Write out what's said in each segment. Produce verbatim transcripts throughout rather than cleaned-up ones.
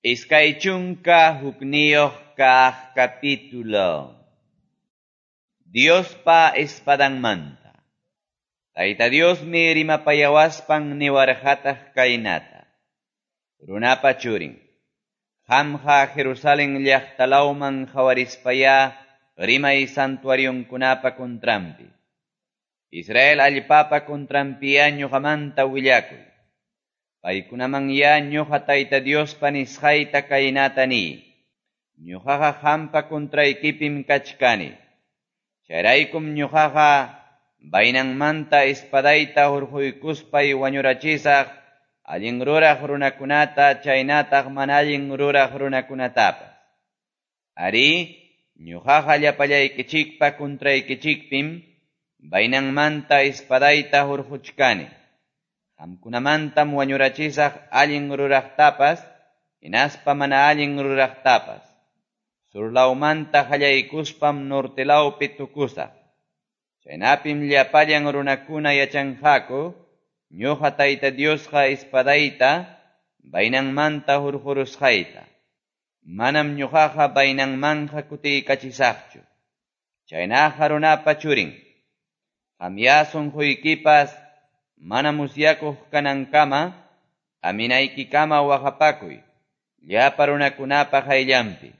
Iskay chunka hukniyuq kaq capítulo. Diospa espadanmanta. Tayta Diosmi rimapayawaspan niwarqataq kaynata. Runapa churin. Qamqa Jerusalén llaqtalawman qhawarispayá rimay santuarionkunapa contranpi. Israel allpapa contranpiyá ñuqamanta willakuy. Paykunaman ya ñuqa Tayta Diospa nisqayta kaynata niy. Ñuqaqa qampa contraykipim kachkani. Chayraykum ñuqaqa vainanmanta espadayta hurquykuspay wañurachisaq allin ruraq runakunata chaynataq mana allin ruraq runakunatapas. Arí, ñuqaqa llapallaykichikpa contraykichikpim vainanmanta espadayta hurquchkani. Qamkunamantam wañurachisaq allin ruraqtapas, hinaspa mana allin ruraqtapas. Surlawmanta qallaykuspam nortelawpi tukusaq. Chaynapim llapallan runakuna yachanqaku, ñuqa Tayta Diosqa espadayta vainanmanta hurqurusqayta. Manam ñuqaqa vainanmanja kutiykachisaqchu. Chaynaqa runapa churin. Qamya sunquykipas mana musyakuq kanankama, aminaykikama waqapakuy, llapa runakunapa qayllanpi.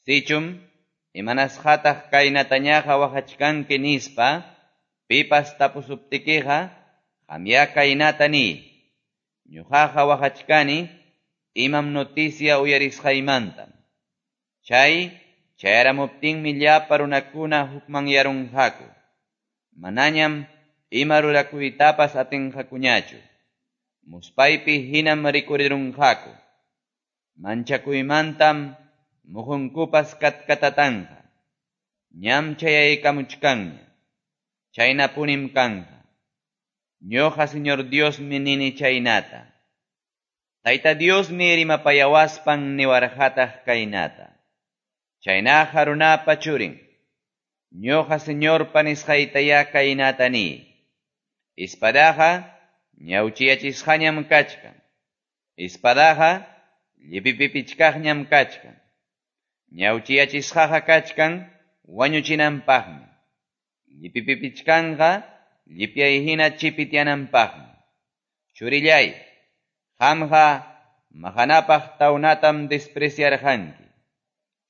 Sichum, imanasqataq kaynatañaqa waqachkanki nispa, pipas tapusuptikiqa, qamya kaynata niy. Ñuqaqa waqachkani, imam noticia uyarisqaymantam. Chay, chayaramuptinmi llapa runakuna hukmanyarunqaku. Manañam ima rurakuytapas atinqakuñachu. Muspaypi hinam rikurirunqaku. Manchakuymantam muhunkupas katkatatanqa. Ñam chayaykamuchkanña. Chaynapunim kanqa. Ñuqa Señor Diosmi nini chaynata. Tayta Diosmi rimapayawaspan niwarqataq kaynata. Chaynaqa runapa churin. Ñuqa Señorpa nisqaytayá kaynata niy. Espadaqa ñawchiyachisqañam kachkan. Espadaqa llipipipichkaqñam kachkan. Ñawchiyachisqaqa kachkan wañuchinanpaqmi. Llipipipichkanqa llipyay hina chipityananpaqmi. Churillay, qamqa maqanapaq tawnatam despreciarqanki.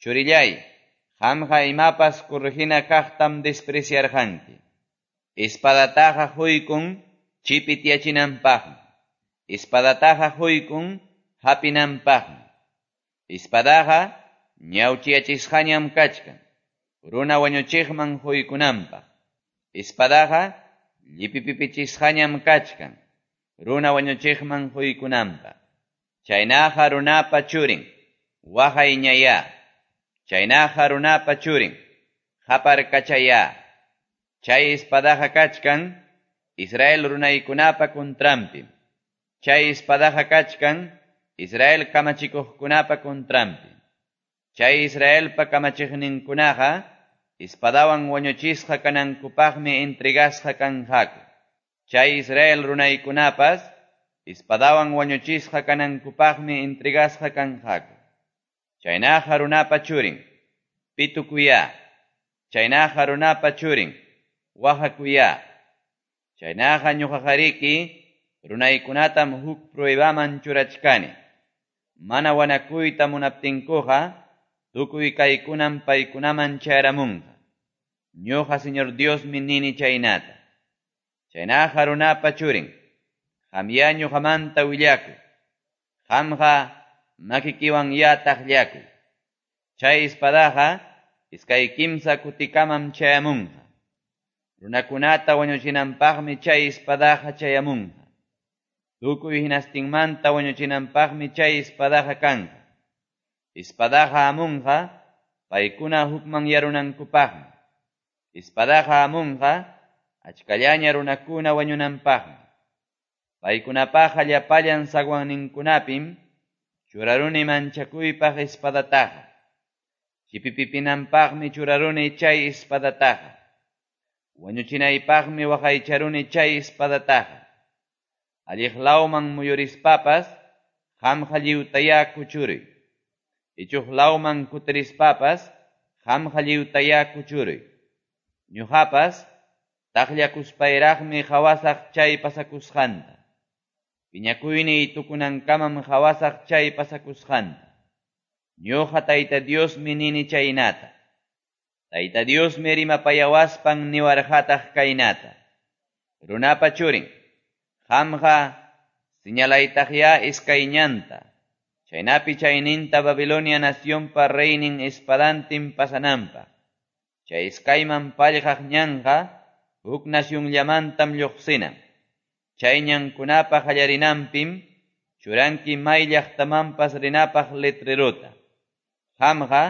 Churillay, qamqa imapas corregina kaqtam despreciarqanki. Espadataqa huykun chipityachinanpaqmi. Espadataqa huykun hapinanpaqmi. Espadaqa ñawchiyachisqañam kachkan, runa wañuchiqman huykunanpaq. Espadaqa llipipipichisqañam kachkan, runa wañuchiqman huykunanpaq. Chaynaqa runapa churin, waqayñayá. Chaynaqa runapa churin, qaparkachayá. Chay espadaqa kachkan, Israel runaykunapa contranpim. Chay espadaqa kachkan, Israel kamachikuqkunapa contranpi. Chay Israelpa kamachiqninkunaqa, espadawan wañuchisqa kanankupaqmi entregasqa kanqaku. Chay Israel runaykunapas, espadawan wañuchisqa kanankupaqmi entregasqa kanqaku. Chaynaqa runapa churin, pitukuyá. Chaynaqa runapa churin, waqakuyá. Chaynaqa ñuqaqariki, runaykunatam huk pruebaman churachkani. Mana wanakuyta munaptinkuqa, tukuy kaykunam paykunaman chayaramunqa. Ñuqa Señor Diosmi nini chaynata. Chaynaqa runapa churin, qamya ñuqamanta willakuy. Qamqa makikiwan ya taqllakuy. Chay espadaqa iskay kimsa kutikamam chayamunqa. Runakunata wañuchinanpaqmi chay espadaqa chayamunqa. Tukuy hinastinmanta wañuchinanpaqmi chay espadaqa kanqa. Espadaqa hamunqa paykuna hukmanyarunankupaqmi. Espadaqa hamunqa achkallaña runakuna wañunanpaqmi. Paykunapaqa llapallan zaguanninkunapim churaruni manchakuypaq espadataqa. Chipipipinanpaqmi churaruni chay espadataqa. Wañuchinaypaqmi waqaycharuni chay espadataqa. Alliqlawman muyurispapas qamqa lliwtayá kuchuruy. Ichuq lawman kutirispapas, qamqa lliwtayá kuchuruy. Ñuqapas, taqllakuspayraqmi qawasaq chay pasakusqanta. Piñakuyniy tukunankamam qawasaq chay pasakusqanta. Ñuqa Tayta Diosmi nini chaynata. Tayta Diosmi rimapayawaspan niwarqataq kaynata. Runapa churin, qamqa señalaytaqyá iskay ñanta. Chaynapi chayninta Babilonia nacionpa reynin espadantin pasananpaq. Chay iskayman pallqaq ñanqa huk nacionllamantam lluqsinan. Chay ñankunapa qallarinanpim churanki may llaqtamanpas rinapaq letrerota. Qamqa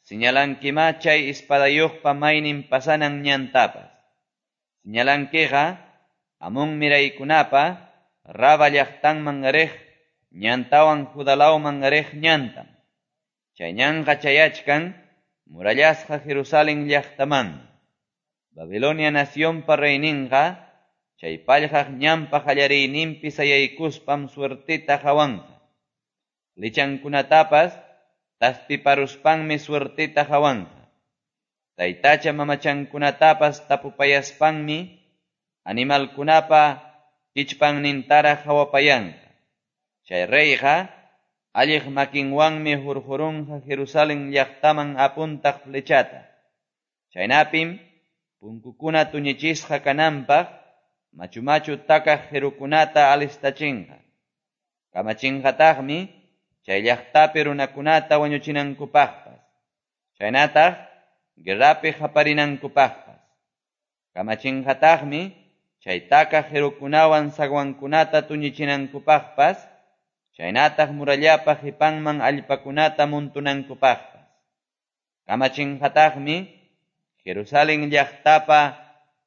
señalankimá chay espadayuqpa maynin pasanan ñantapas. Señalankiqa Amón miraykunapa Raba llaqtanman riq ñantawan Judá lawman riq ñantam. Chay ñanqa chayachkan murallasqa Jerusalén llaqtamanmi. Babilonia nacionpa reyninqa chay pallqaq ñanpa qallariyninpi sayaykuspam suerteta qawanqa. Flechankunatapas taspiparuspanmi suerteta qawanqa. Taytacha mamachankunatapas tapupayaspanmi animalkunapa kichpannintaraq qawapayanqa. Chay reyqa alliq makinwanmi hurqurunqa Jerusalén llaqtaman apuntaq flechata. Chaynapim punkukuna tuñichisqa kananpaq machu-machu takaq qirukunata alistachinqa. Kamachinqataqmi chay llaqtapi runakunata wañuchinankupaqpas. Chaynataq guerrapi qaparinankupaqpas. Kamachinqataqmi chay takaq qirukunawan zaguankunata tuñichinankupaqpas, chaynataq murallapa qipanman allpakunata muntunankupaqpas. Kamachinqataqmi Jerusalén llaqtapa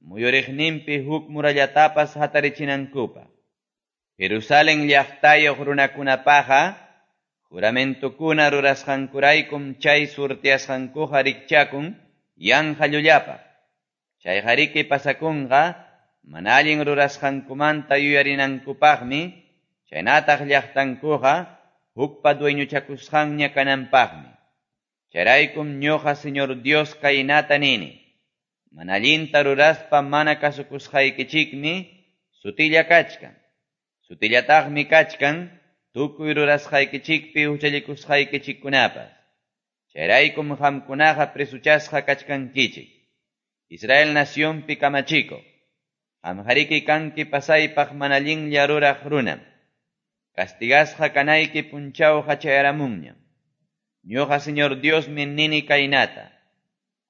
muyuriqninpi huk murallatapas hatarichinankupaq. Jerusalén llaqtayuq runakunapaqqa juramentukuna rurasqankuraykum chay surtiasqankuqa rikchakun yanqa llullapaq. Chayqariki pasakunqa mana allin rurasqankumanta yuyarinankupaqmi, chaynataq llaqtankuqa hukpa dueñochakusqanña kananpaqmi. Chayraykum ñuqa Señor Dios kaynata nini. Mana allinta ruraspa mana kasukusqaykichikmi sutilla kachkan. Sutillataqmi kachkan tukuy rurasqaykichikpi huchallikusqaykichikkunapas. Chayraykum qamkunaqa presuchasqa kachkankichik. Israel nacionpi kamachikuq. Qamqariki kanki pasaypaq mana allinlla ruraq runam. Castigasqa kanayki punchawqa chayaramunñam. Ñuqa Señor Diosmi nini kaynata.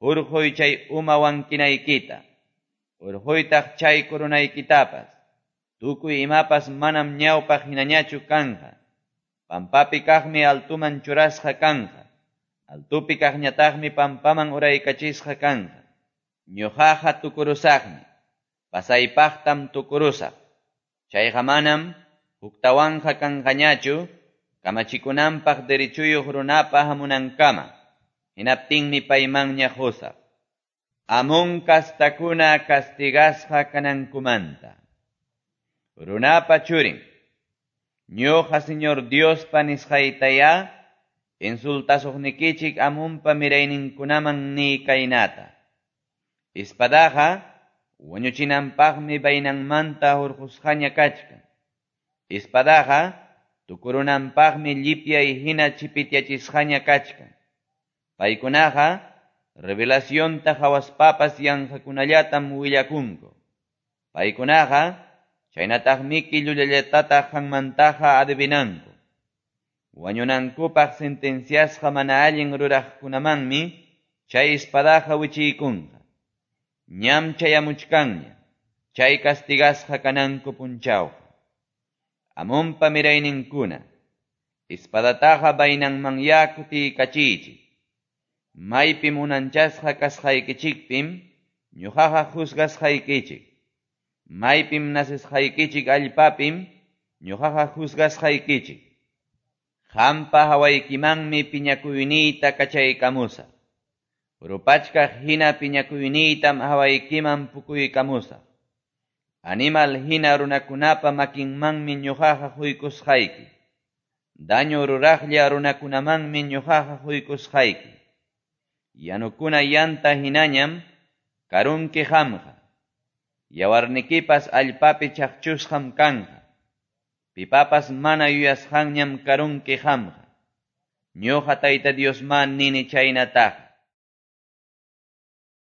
Hurquy chay uma wankinaykita. Hurquytaq chay coronaykitapas. Tukuy imapas manam ñawpaq hinañachu kanqa. Pampapi kaqmi altuman churasqa kanqa. Altupi kaqñataqmi pampaman uraykachisqa kanqa. Ñuqaqa tukurusaqmi. Pasaypaqtam tukurusaq. Chayqa manam huktawanqa kanqañachu kamachikunanpaq derechuyuq runapa hamunankama. Hinaptinmi paymanña qusaq. Amón kastakuna castigasqa kanankumanta. Runapa churin, ñuqa Señor Diospa nisqaytayá insultasuqnikichik Amonpa mirayninkunaman niy kaynata. Espadaqa wañuchinanpaqmi vainanmanta hurqusqaña kachkan. Espadaqa tukurunanpaqmi llipyay hina chipityachisqaña kachkan. Paykunaqa revelacionta qawaspapas yanqakunallatam willakunku. Paykunaqa chaynataqmiki llullallatataq qanmantaqa adivinanku. Wañunankupaq sentenciasqa mana allin ruraqkunamanmi chay espadaqa wichiykunqa. Ñam chayamuchkanña chay castigasqa kananku punchawqa. Amonpa mirayninkuna, espadataqa vainanmanyá kutiykachiychik. Maypim unanchasqa kasqaykichikpim ñuqaqa juzgasqaykichik. Maypim nacesqaykichik allpapim ñuqaqa juzgasqaykichik. Qampa hawaykimanmi piñakuyniyta kachaykamusaq. Rupachkaq hina piñakuyniytam hawaykiman pukuykamusaq. Animal hina runakunapa makinmanmi ñuqaqa quykusqayki. Daño ruraqlla runakunamanmi ñoqaqa qoykusqayki. Yanukuna yanta hinañam karunki qamqa. Yawarnikipas allpapi chaqchusqam kanqa. Pipapas mana yuyasqanñam karunki qamqa. Ñoqa Tayta Diosmá nini chaynataqa.